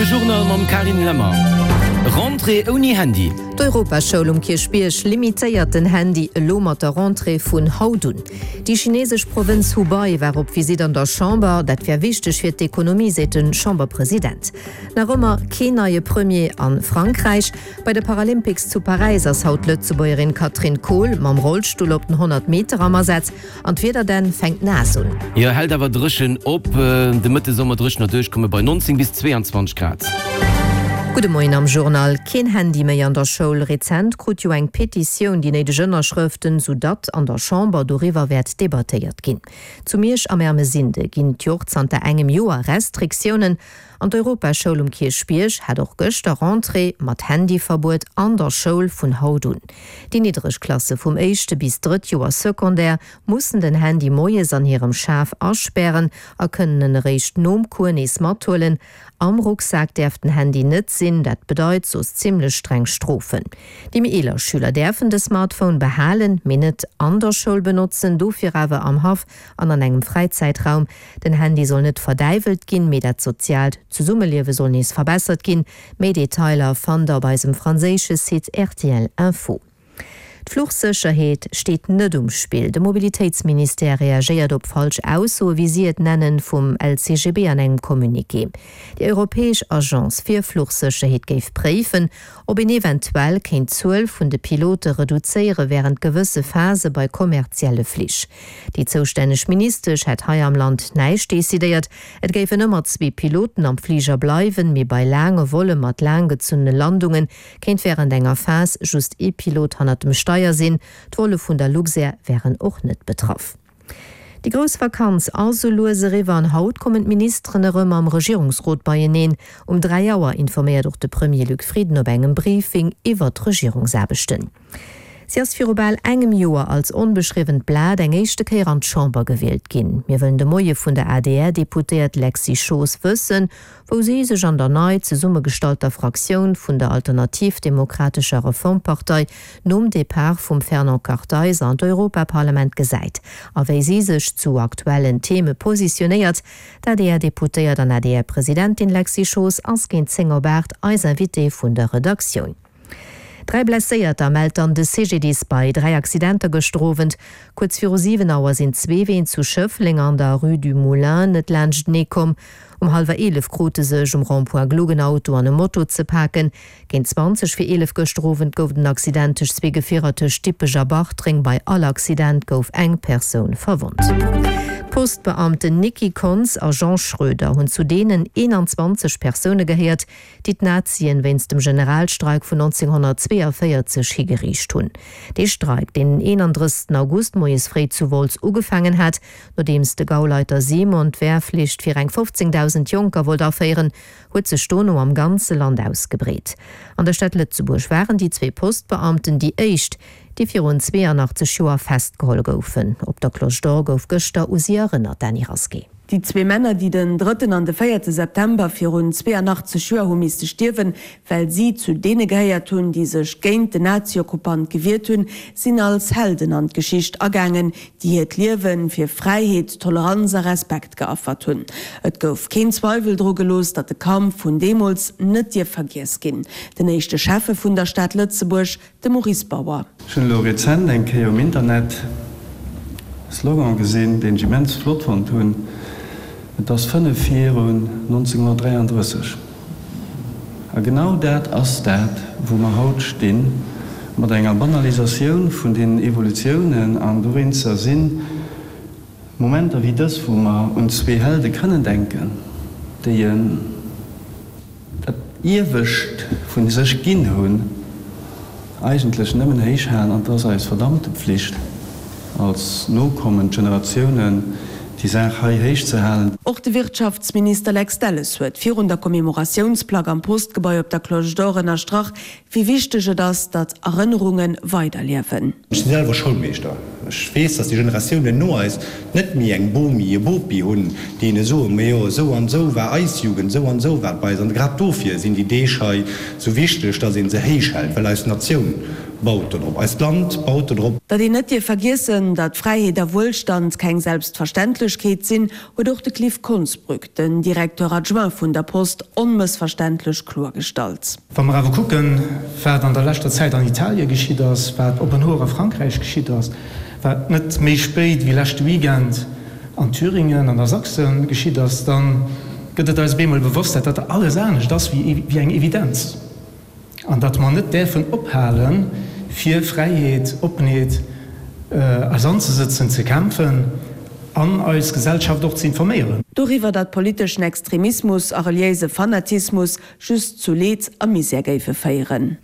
De Journal mam Carine Lemmer. Rentrée ouni Handy. D'Europaschoul um Kierchbierg limitéiert den Handy elo mat der Rentrée vun haut un. Déi chinesesch Provënz Hubei war op Visitt an der Chamber. Dat wär wichteg fir d'Ekonomie, seet de Chamberpresident. Nach ëmmer keen neie Premier a Frankräich. Bei de Paralympics zu Paräis ass haut d'Lëtzebuergerin Katrin Kohl mam Rollstull op den 100 Meter am Asaz. An d'Wieder denn fänkt naass un. Jo, hält awer dréchen op. De Mëtte soll mer dréchener duerchkomme bei 19 bis 22 Grad. Gudde Moien am Journal. Keen Handy méi an der Schoul. Rezent krut jo eng Petitioun déi néideg Ënnerschrëften, sou datt an der Chamber doriwwer wäert debattéiert ginn. Zu Miersch am Ermesinde ginn et jo och zanter engem Joer Restriktiounen. An d'Europaschoul um Kierchbierg hat och gëschter Rentrée mat Handyverbuet an der Schoul vun haut un. Déi niddreg Klasse vum éischte bis drëtt Joer Secondaire mussen den Handy moies an hirem Schaf aspären a kënnen en eréischt nom Cours nees mathuelen. Am Rucksak däerf den Handy net sinn, dat bedeit soss zimmlech streng Strofen. Déi méi eeler Schüler däerfen de Smartphone behalen, mee net an der Schoul benotzen, dofir awer am Haff an an engem Fräizäitraum. Den Handy soll net verdäiwelt ginn, mee dat soziaalt Zesummeliewe soll nees verbessert ginn. Méi Detailer fannt der op eisem franséische Site rtl Info. D'Fluchsécherheet steet net um Spill. De Mobilitéitsministère reagéiert op falsch Aussoe, wéi si et nennen, vum LCGB an engem Communiqué. Déi europäesch Agence fir Fluchsécherheet géif préifen, ob een eventuell kéint d'Zuel vun de Pilote reduzéiere wärend gewësse Phase bei kommerzielle Flich. Déi zoustänneg Ministesch hätt hei am Land näischt decidéiert. Et géifen ëmmer zwee Piloten am Fliger bleiwen, mee bei laange Volle mat laanggezunnene Landunge kéint wärend enger Phas just ee Pilot hannert dem Steier sinn. D'Volle vun der Luxair wären och net betraff. Déi grouss Vakanz ass sou lues eriwwer an haut kommen d'Ministeren erëm am Regierungsrot beieneen. Um 3 Auer informéiert och de Premier Luc Frieden op engem Briefing iwwer d'Regierungsaarbechten. Si ass viru bal engem Joer als onbeschriwwent Blat eng éischte Kéier an d'Chamber gewielt ginn. Mir wëllen de Moie vun der ADR-Deputéiert Lexy Schoos wëssen, wou si sech an der nei zesummegestallter Fraktioun vun der Alternativ-Demokratescher Reformpartei nom Depart vum Fernand Kartheiser an d'Europaparlament gesäit a wéi si sech zu aktuellen Theme positionéiert. D'ADR-Deputéiert an ADR-Presidentin Lexy Schoos ass géint 10 op 8 eis Invitée vun der Redaktioun. 3 Blesséierter mellt dann de CGDIS bei 3 Accidenter gëschter Owend. Kuerz viru 7 Auer sinn zwee Ween zu Schëffleng an der Rue du Moulin net laanschtenee komm. Um hallwer 11 krute sech um Rond-point Gluck en Auto an e Moto ze paken. Géint 20 vir 11 gëschter Owend gouf et en Accident tëscht zwee Gefierer tëscht Dippech a Bartreng. Bei all Accident gouf eng Persoun verwonnt. D'Postbeamten Nicky Kontz a Jean Schroeder hunn zu deenen 21 Persoune gehéiert, déi d'Nazien wéinst dem Generalstreik vun 1942 higeriicht hunn. Dee Streik, deen den 31 August moies fréi zu Wolz ugefaangen hat, nodeems de Gauleiter Simon d'Wehrflicht fir eng 15.000 Jonker wollt aféieren, huet sech dono am ganze Land ausgebreet. An der Stad Lëtzebuerg waren déi zwee Postbeamten déi éischt, déi virun 82 Joer festgeholl goufen. Op der Cloche d'Or gouf gëschter u si erënnert. Dany Rasqué. Déi zwee Männer, déi den drëtten an de véierte September virun 82 Joer hu misste stierwen, well si zu deene gehéiert hunn, déi sech géint den Nazi-Okkupant gewiert hunn, sinn als Helden an d'Geschicht agaangen, déi hiert Liewe fir Fräiheet, Toleranz a Respekt geaffert hunn. Et gouf keen Zweiwel dru gelooss, datt de Kampf vun deemools net dierf vergiess ginn. Den éischte Schäffe vun der Stad Lëtzebuerg, De Maurice Bauer. Ech hunn elo rezent eng Kéier um Internet e Slogan gesinn, deen ech immens flott fonnt hunn, Et ass 5 virun 1933. A genau dat ass dat, wou mer haut stinn, mat enger Banalisatioun vun deenen Evolutiounen. An dowéinster si Momenter wéi dës, wou mer un zwee Helde kënnen denken, déi e. Dat Iewescht vun sech ginn hunn, eigentlech nëmmen héich halen, an et ass eis verdammte Pflicht als nokommend Generatiounen, déi Saach hei héich ze halen. Och de Wirtschaftsminister Lex Delles huet virun der Commemoratiounsplack am Postgebai op der Cloche d'Or ënnerstrach, wéi wichteg et ass, datt Erënnerunge weiderliewen. Ech si selwer Schoulmeeschter. Ech weess, datt déi Generatiounen no eis net méi eng Bomi, e Bopi hunn, déi hinne soen, Majo, esou an esou war eis Jugend, esou an esou war et bei eis. An grad dofir sinn déi Deeg hei esou wichteg, datt ee se héich hält, well eis Natioun. baut dodrop, eist Land baut dodrop. Datt een net dierf vergiessen, datt Fräiheet a Wuelstand keng Selbstverständlechkeet sinn, huet och de Cliff Konsbrück, den Directeur adjoint vun der Post, onmëssverständlech kloergestallt. Wa mer awer kucken, wat an der leschter Zäit an Italie geschitt ass, wat op en Hoer a Frankräich geschitt ass, wat net méi spéit wéi leschte Weekend an Thüringen an a Sachsen geschitt ass, da gëtt et eis op eemol bewosst, dat dat alles anescht ass wéi eng Evidenz an datt mer net däerfen ophalen, fir Fräiheet, Oppenheet eis anzesëtzen, ze kämpfen an eis Gesellschaft och ze informéieren. Doriwwer, datt politeschen Extremismus a reliéise Fanatismus just zu Leed a Misär géife féieren.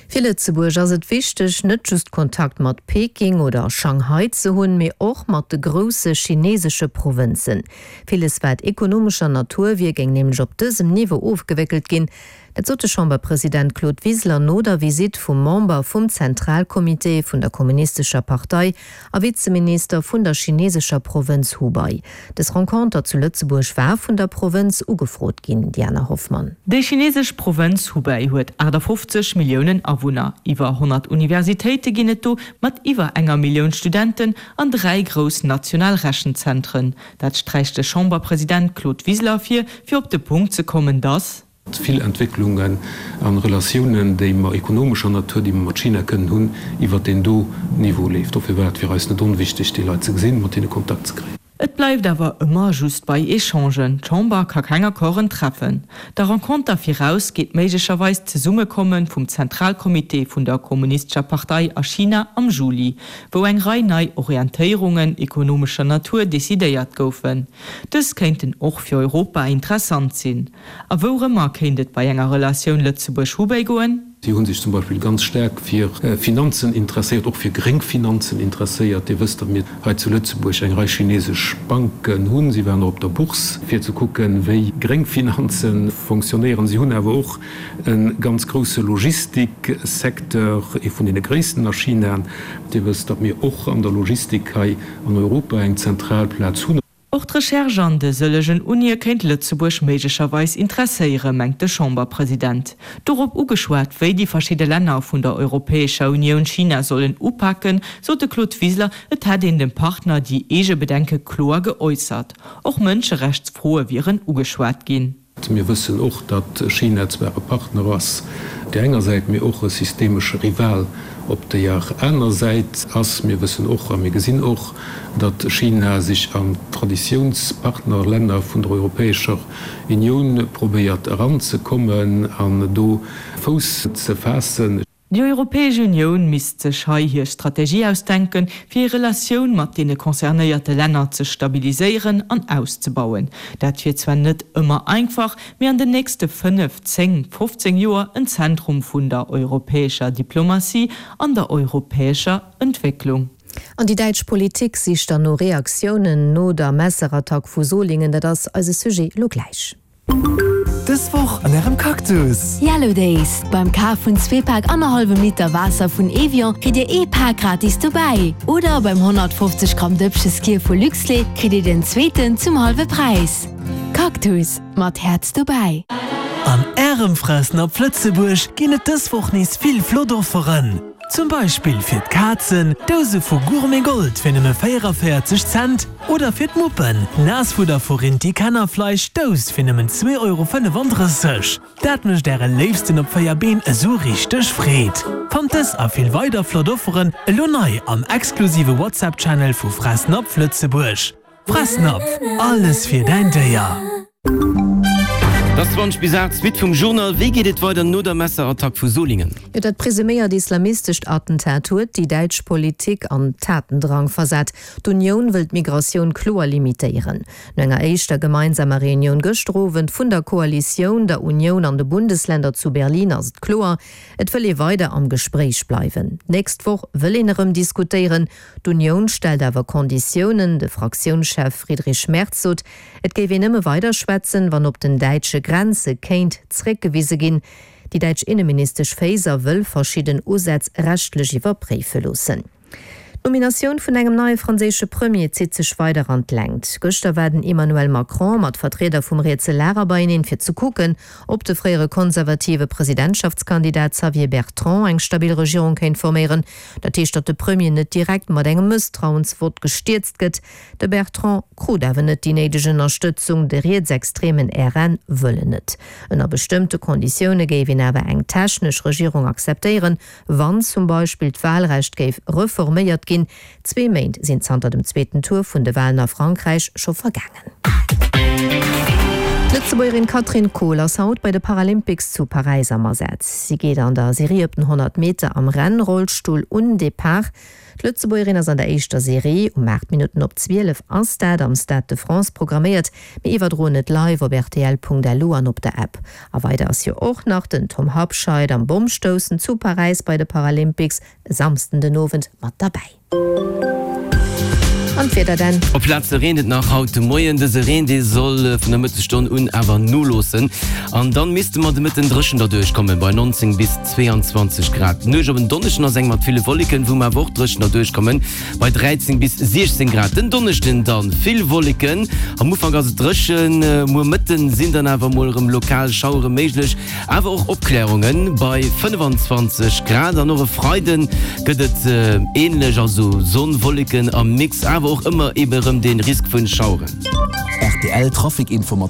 Fir Lëtzebuerg ass et wichteg, net just Kontakt mat Peking oder Shanghai ze hunn, mee och mat de grousse chinesesche Provënzen. Villes wat ekonomescher Natur wier, géing nämlech op dësem Niveau ofgewéckelt ginn. Dat sot de Chamberpresident Claude Wiseler no der Visitt vum Member vum Zentralcomité vun der Kommunistescher Partei a Vizeminister vun der chinesescher Provënz Hubei. Dës Renconter zu Lëtzebuerg war vun der Provënz ugefrot ginn, Diana Hoffmann. Déi chinesesch Provënz Hubei huet 58 Milliounen Awunner. Iwwer 100 Universitéite ginn et do, mat iwwer enger Millioun Studenten an 3 grouss national Rechenzentren. Dat sträicht de Chamberpresident Claude Wiseler ervir, fir op de Punkt ze kommen, datt. Vill Entwécklungen a Relatiounen, déi mer ekonomescher Natur, déi mer mat China kënnen hunn, iwwert deen do Niveau leeft. Dofir war et fir eis net onwichtig, déi Leit ze gesinn, mat hinne Kontakt ze kréien. Et bleift awer ëmmer just bei Echangen, d'Chamber ka keng Accorden treffen. Der Renconter viraus geet méiglecherweis d'Zesummekomme vum Zentralcomité vun der Kommunistescher Partei a China am Juli, wou eng Rei nei Orientéierungen ekonomescher Natur decidéiert goufen. Dës kéinten och fir Europa interessant sinn. A wourëmmer kéint et bei enger Relatioun Lëtzebuerg-Hubei goen? Si hu sech zum Beispill ganz staark fir Finanzen interesséiert, och fir gréng Finanzen interesséiert. Dir wësst, datt mir hei zu Lëtzebuerg eng Rei chinesesch Banken hunn. Si waren och op der Bourse, fir ze kucken, wéi gréng Finanze fonctionnéieren. Si hunn awer och e ganz grousse Logistiksecteur, ee vun deene gréissten a China. Dir wësst, datt mir och an der Logistik hei an Europa eng zentral Plaz hunn. Och d'Recherche an de sëllegen Unie kéint Lëtzebuerg méiglecherweis interesséieren, mengt de Chamberpresident. Dorop ugeschwat, wéi déi verschidde Länner vun der Europäescher Unioun China sollen upaken, sot de Claude Wiseler, et hätt een dem Partner déi eege Bedenke kloer geäussert. Och Mënscherechtsfroe wieren ugeschwat ginn. Mir wëssen och, datt China zwar e Partner ass op där enger Säit, mee och e systemesche Rival op deeër aner Säit ass. Mir wëssen och a mir gesinn och, datt China sech an d'Traditiounspartnerlänner vun der Europäescher Unioun probéiert eranzekommen an do Fouss ze faassen. Déi Europäesch Unioun misst sech hei hir Strategie ausdenken, fir hir Relatioun mat deene concernéierte Länner ze stabiliséieren an auszebauen. Dat wier zwar net ëmmer einfach, mee an den nächste 5, 10, 15 Joer en Zentrum vun der europäescher Diplomatie an der europäescher Entwécklung. An déi däitsch Politik sicht dann no Reaktiounen no der Messerattack vu Solingen. Dat ass eise Sujet elo gläich. Dës Woch an ärem Cactus! Yellow Days, Beim Kaf vun zwee Pak annerhallwem Liter Waasser vun Evian kritt dir ee Pak gratis dobäi. Oder beim 150 Gramm Dëppche Skyr vu Luxlait kritt dir den zweeten zum hallwe Präis. Cactus, mat Häerz dobäi! An ärem Fressnapf Lëtzebuerg ginn et dës Woch nees vill flott Offeren. Zum Beispill fir d'Kazen, Douse vu Gourmet Gold fir nëmme 44 Cent oder fir d'Muppen, Naassfudder vu Rinti Kennerfleisch, Dous fir nëmmen 2,35 Euro. Dat mécht äre Léifsten op 4 Been esou richteg Freed! Fannt dës a vill weider flott Offeren elo nei am exklusive WhatsApp-Channel vu Fressnapf Lëtzebuerg. Fressnapf, alles fir däin Déier! Et ass 20 bis 8, d'Suite vum Journal. Wéi geet et weider no der Messerattack vu Solingen? Jo, dat presuméiert islamistescht Attentat huet déi däitsch Politik an Tatendrang versat. D'Unioun wëll d'Migratioun kloer limitéieren. No enger éischter gemeinsamer Reunioun gëschter Owend vun der Koalitioun, der Unioun an de Bundesländer zu Berlin ass et kloer, Et wëll ee weider am Gespréich bleiwen. D'nächst Woch wëll een erëm diskutéieren. D'Unioun stellt awer Konditiounen. De Fraktiounschef Friedrich Merz sot, et géif een nëmme weider schwätzen, wann op den däitsche Grenze kéint zréckgewise ginn. Déi däitsch Inneministesch Faeser wëll verschidden Usätz rechtlech iwwerpréife loossen. D'Nominatioun vun engem neie franséische Premier zitt sech weider an d'Längt. Gëschter war den Emmanuel Macron mat Vertrieder vum rietse Lager beieneen, fir ze kucken, ob de fréiere konservative Presidentschaftskandidat Xavier Bertrand eng stabil Regierung kéint forméieren. Dat heescht, datt de Premier net direkt mat engem Mësstrauensvott gestierzt gëtt. De Bertrand krut awer net déi néideg Ënnerstëtzung, de rietsextremen RN wëll en net. Ënner bestëmmte Konditioune géif een awer eng technesch Regierung akzeptéieren, Wann zum Beispill d'Wahlrecht géif reforméiert ginn. Zwee Méint sinn zanter dem zweeten Tour vun de Wahlen a Frankräich scho vergaangen. D'Lëtzebuergerin Katrin Kohl ass haut bei de Paralympics zu Paräis am Asaz. Si geet an der Serie op den 100 Meter am Rennrollstull un Depart. D'Lëtzebuergerin ass an der éischter Serie, um 8 Minutten op 12 ass dat am Stade de France programméiert. Mir iwwerdroen et live op rtl.lu an op der App. A weider ass jo och nach den Tom Habscheid am Bommstoussen zu Paräis bei de Paralympics e Samsden den Owend mat derbäi. An d'Wieder dann? Op Plaze reent et nach haut de Moien. Dëse Reen, dee soll vun der Mëttesstonn un awer noloossen an dann misste mer de Mëtten dréchen derduerch kommen, bei 19 bis 22 Grad. D'Nuecht op en Donneschden ass eng mat ville Wolleken, wou mer awer och dréchen derduerch kommen, Bei 13 bis 16 Grad. Den Donneschden dann vill Wolleken, am Ufank ass et dréchen, muer Mëtten sinn dann awer mol erëm lokal Schauere méiglech, awer och Opklärungen bei 25 Grad. An och e Freiden gëtt et änlech, also Sonn, Wolleken am Mix, awer och ëmmer ebe rëm de Risk vun Schaueren. Rtl Trafic Informatiounen.